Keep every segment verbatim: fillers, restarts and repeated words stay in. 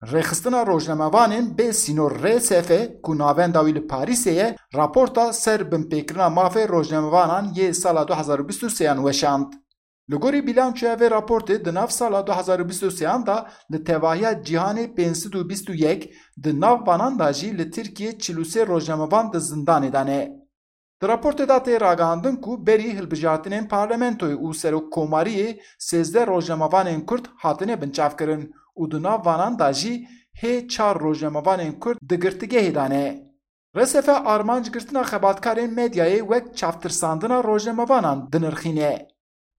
Rêxistina Rojnamevanên Bê Sînor, R S F, ku navenda wî li Parîsê ye, raporta ser binpêkirina mafê rojnamevanan yê sala du hezar û bîst û sêyan weşand. Li gorî bîlançoya vê raportê, di nav sala du hezar û bîst û sêyan de li tevahiya cîhanê pênc sed û bîst û yek, di nav vanan de jî li Tirkiyê çil û sê rojnamevan di zindanê de ne. Di raportê de tê ragihandin ku berî hilbijartinên parlamentoyê û serokkomariyê sêzdeh rojnamevanên Kurd hatine binçavkirin û di nav vanan de jî hê çar rojnamevanên Kurd di girtîgehê de ne. R S F armanc girtina xebatkarên medyayê wek çavtirsandina rojnamevanan dinirxîne.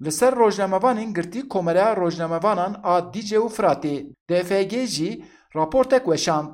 Li ser rojnamevanên girtî Komeleya Rojnamevanan a Dîce û Firatê, D F G, jî raportek weşand.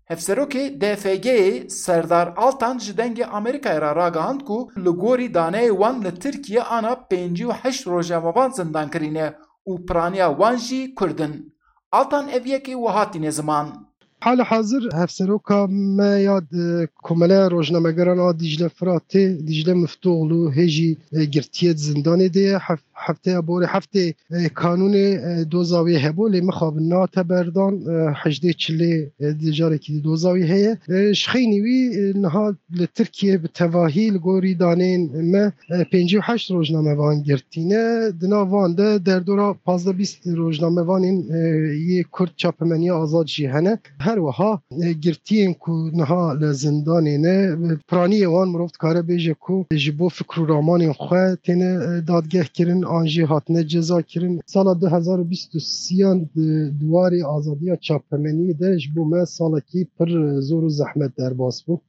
Hevserokê D F G'ê Serdar Altan ji Dengê Amerîkayê re ragihand ku li gorî daneyê wan li Tirkiye ana pêncî û heşt rojnamevan zindan kirîne û piraniya wan jî Kurd in. Altan ev yekê wiha tîne ziman. Hala hazir hevseroka me ya di Komeleya Rojnamegeran a Dîcle Firatê, Dîcle Miftûoğlu, hê jî, e, girtiye di zindanê de ye. Hef-, hefteya borê heftê, e, kanûnê, e, doza wê hebû, lê mixabin nehate berdan, e, hejdê çilê, e, di carekî di doza wê heye. E, ji xeynî wî, e, niha li Tirkiye bi tevahî li gorî daneyên me, e, pêncî û heşt rojnamevan girtîne. Di nav van de derdora pazdeh bîst rojnamevanên, e, yê Kurd çapemeniya azad jî hene. Her wiha, e, girtiyên ku niha li zindanê ne, e, piraniyê wan mirov dikare bêje ku ji bo fikr û ramanên xwe têne, e, dadgeh kirin, an jî hatine ceza kirin. Sala du hezar û bîst û sêyan di, di warê azadiya çapemeniyê de ji bo me salekî pir, e, zor û zehmet derbas bû.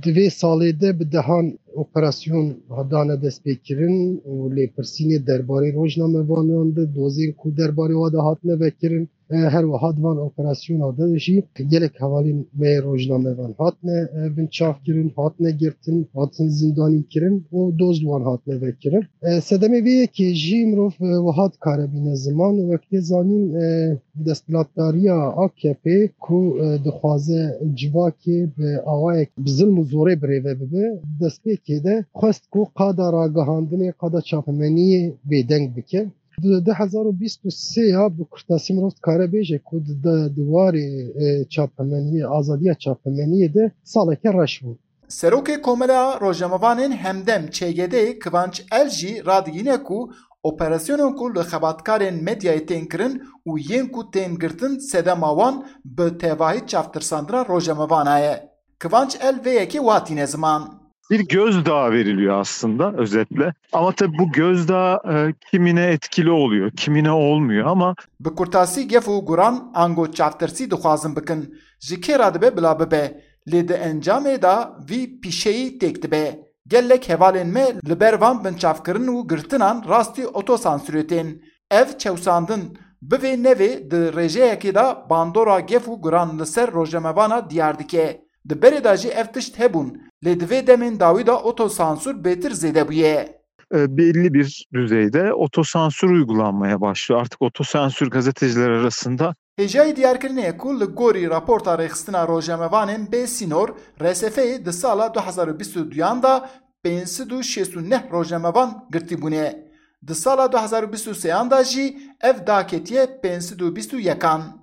Di vê salê de bi dehan operasyon dane destpêkirin û lêpirsînê derbarê rojnamevanan de, dozên ku derbarê wa de hatine vekirin, e, her wiha di van operasyona de jî gelek hevalên me yê rojnamevan hatine, e, binçavkirin, hatine girtin, hatin zindanî kirin û doz li wan hatine vekirin. E, sedemê vê yekê jî mirov, e, wiha dikare bîne ziman. Wek tê zanîn, e, desthilatdariya A K P ku, e, dixwaze civakê bi awayek bi zilm û zorê birêve bibe, destpêkê de xwest ku qada ragihandinê, qada çapemeniyê bêdeng bike. Di du hezar û bîst û sê ya bi kurtasî mirov dikare bêje ku di, di, di warê, e, çapemeniyê, azadiya çapemeniyê de saleke reş bû. Serokê Komeleya Rojnamevanên Hemdem, Ç G D, Kivanç El jî radigihîne ku operasyonên ku li xebatkarên medyayê tên kirin û yên ku tên girtin sedema wan bi tevahî çavtirsandina rojnamevana ye. Kivanç El vê yekê wiha tîne ziman. Bir gözdağı veriliyor aslında özetle. Ama tabii bu gözdağı, e, kimine etkili oluyor, kimine olmuyor ama Bi kurtasî gef û guran ango çavtirsî dixwazin bikin. Ji kê re dibe bila bibe, lê di encamê de vî pîşeyî têk dibe. Gelek hevalên me li ber van binçavkirin û girtinan rastî otosansûrê tên. Ev çewsandin, bivê nevê, di rêjeyekê de bandora gef û guran li ser rojnamevana diyar dike. Di berê de jî ev tişt hebûn, lê di vê demên dawî de otosansûr bêtir zêde bûye. E, belli bir düzeyde otosansür uygulanmaya başlıyor. Artık otosansür gazeteciler arasında Hêjayî diyarkirinê ye ku li gorî raporta Rêxistina Rojnamevanên Bê Sînor, R S F'ê, di sala du hezar û bîst û duyan de pênc sed û şêst û neh rojnamevan girtî bûne. Di sala du hezar û bîst û sêyan de jî ev daketiye pênc sed û bîst û yekan.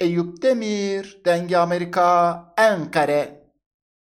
Eyûp Demîr, Dengê Amerîka, Enqere.